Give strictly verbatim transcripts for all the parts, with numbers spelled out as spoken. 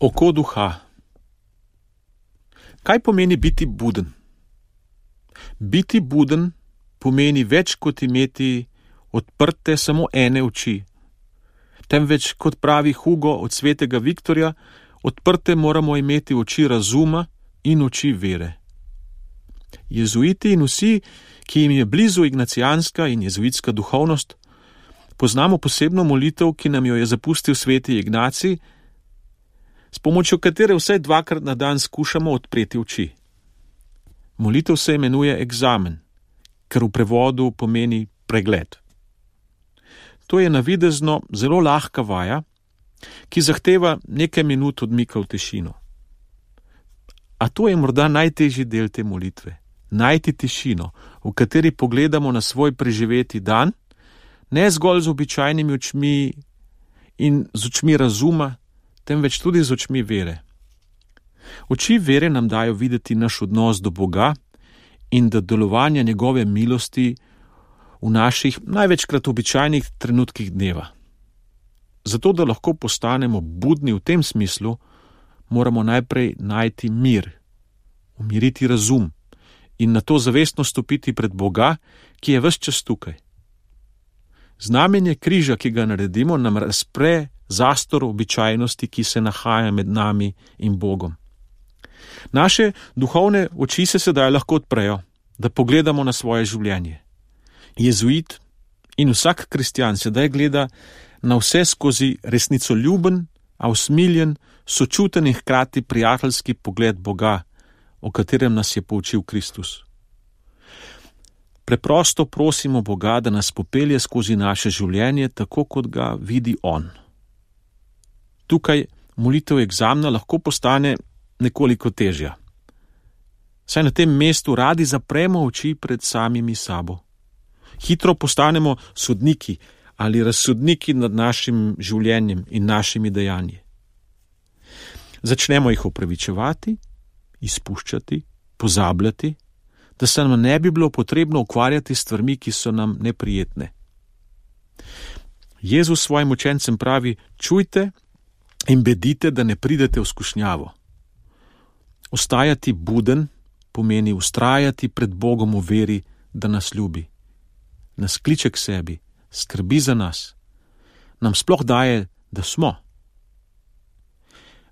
Oko duha. Kaj pomeni biti buden? Biti buden pomeni več kot imeti odprte samo ene oči, temveč, kot pravi Hugo od svetega Viktorja, odprte moramo imeti oči razuma in oči vere. Jezuiti in vsi, ki jim je blizu ignacijanska in jezuitska duhovnost, poznamo posebno molitev, ki nam jo je zapustil sveti Ignacij, s pomočjo katere vsaj dvakrat na dan skušamo odpreti oči. Molitev se imenuje egzamen, ker v prevodu pomeni pregled. To je navidezno zelo lahka vaja, ki zahteva nekaj minut odmika v tišino. A to je morda najtežji del te molitve. Najti tišino, v kateri pogledamo na svoj preživeti dan, ne zgolj z običajnimi očmi in z očmi razuma, temveč tudi z očmi vere. Oči vere nam dajo videti naš odnos do Boga in do delovanja njegove milosti v naših največkrat običajnih trenutkih dneva. Zato, da lahko postanemo budni v tem smislu, moramo najprej najti mir, umiriti razum in nato zavestno stopiti pred Boga, ki je ves čas tukaj. Znamenje križa, ki ga naredimo, nam razpre zastor običajnosti, ki se nahaja med nami in Bogom. Naše duhovne oči se sedaj lahko odprejo, da pogledamo na svoje življenje. Jezuit in vsak kristjan sedaj gleda na vse skozi resnicoljuben, a usmiljen, sočuten in hkrati prijateljski pogled Boga, o katerem nas je poučil Kristus. Preprosto prosimo Boga, da nas popelje skozi naše življenje, tako kot ga vidi On. Tukaj molitev egzamna lahko postane nekoliko težja. Saj na tem mestu radi zapremo oči pred samimi sabo. Hitro postanemo sodniki ali razsodniki nad našim življenjem in našimi dejanji. Začnemo jih opravičevati, izpuščati, pozabljati, da se nam ne bi bilo potrebno ukvarjati s stvarmi, ki so nam neprijetne. Jezus svojim učencem pravi: čujte in bedite, da ne pridete v skušnjavo. Ostajati buden pomeni vztrajati pred Bogom v veri, da nas ljubi, nas kliče k sebi, skrbi za nas, nam sploh daje, da smo.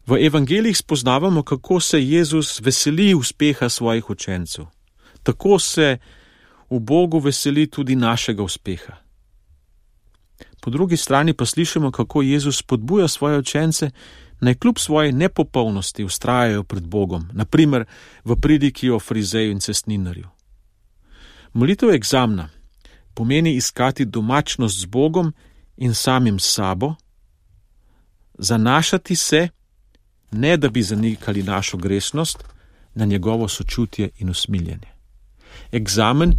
V evangelijih spoznavamo, kako se Jezus veseli uspeha svojih učencev. Tako se v Bogu veseli tudi našega uspeha. Po drugi strani pa slišimo, kako Jezus spodbuja svoje učence, naj kljub svoji nepopolnosti vztrajajo pred Bogom, na primer v pridiki o farizeju in cestninarju. Molitev egzamna pomeni iskati domačnost z Bogom in samim sabo, zanašati se, ne da bi zanikali našo grešnost, na njegovo sočutje in usmiljenje. Egzamen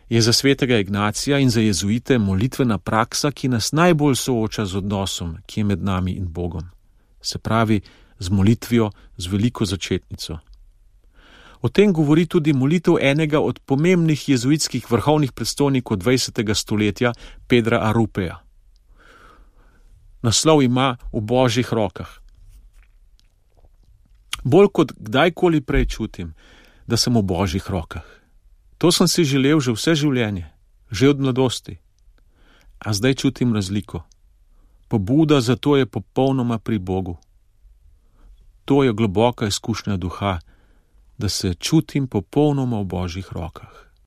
je za svetega Ignacija in za jezuite molitvena praksa, ki nas najbolj sooča z odnosom, ki je med nami in Bogom. Se pravi, z molitvijo, z veliko začetnico. O tem govori tudi molitev enega od pomembnih jezuitskih vrhovnih predstojnikov dvajsetega stoletja, Pedra Arupeja. Naslov ima V Božjih rokah. Bolj kot kdajkoli prej čutim, da sem v Božjih rokah. To sem si želel že vse življenje, že od mladosti. A zdaj čutim razliko. Pobuda za to je popolnoma pri Bogu. To je globoka izkušnja duha, da se čutim popolnoma v Božjih rokah.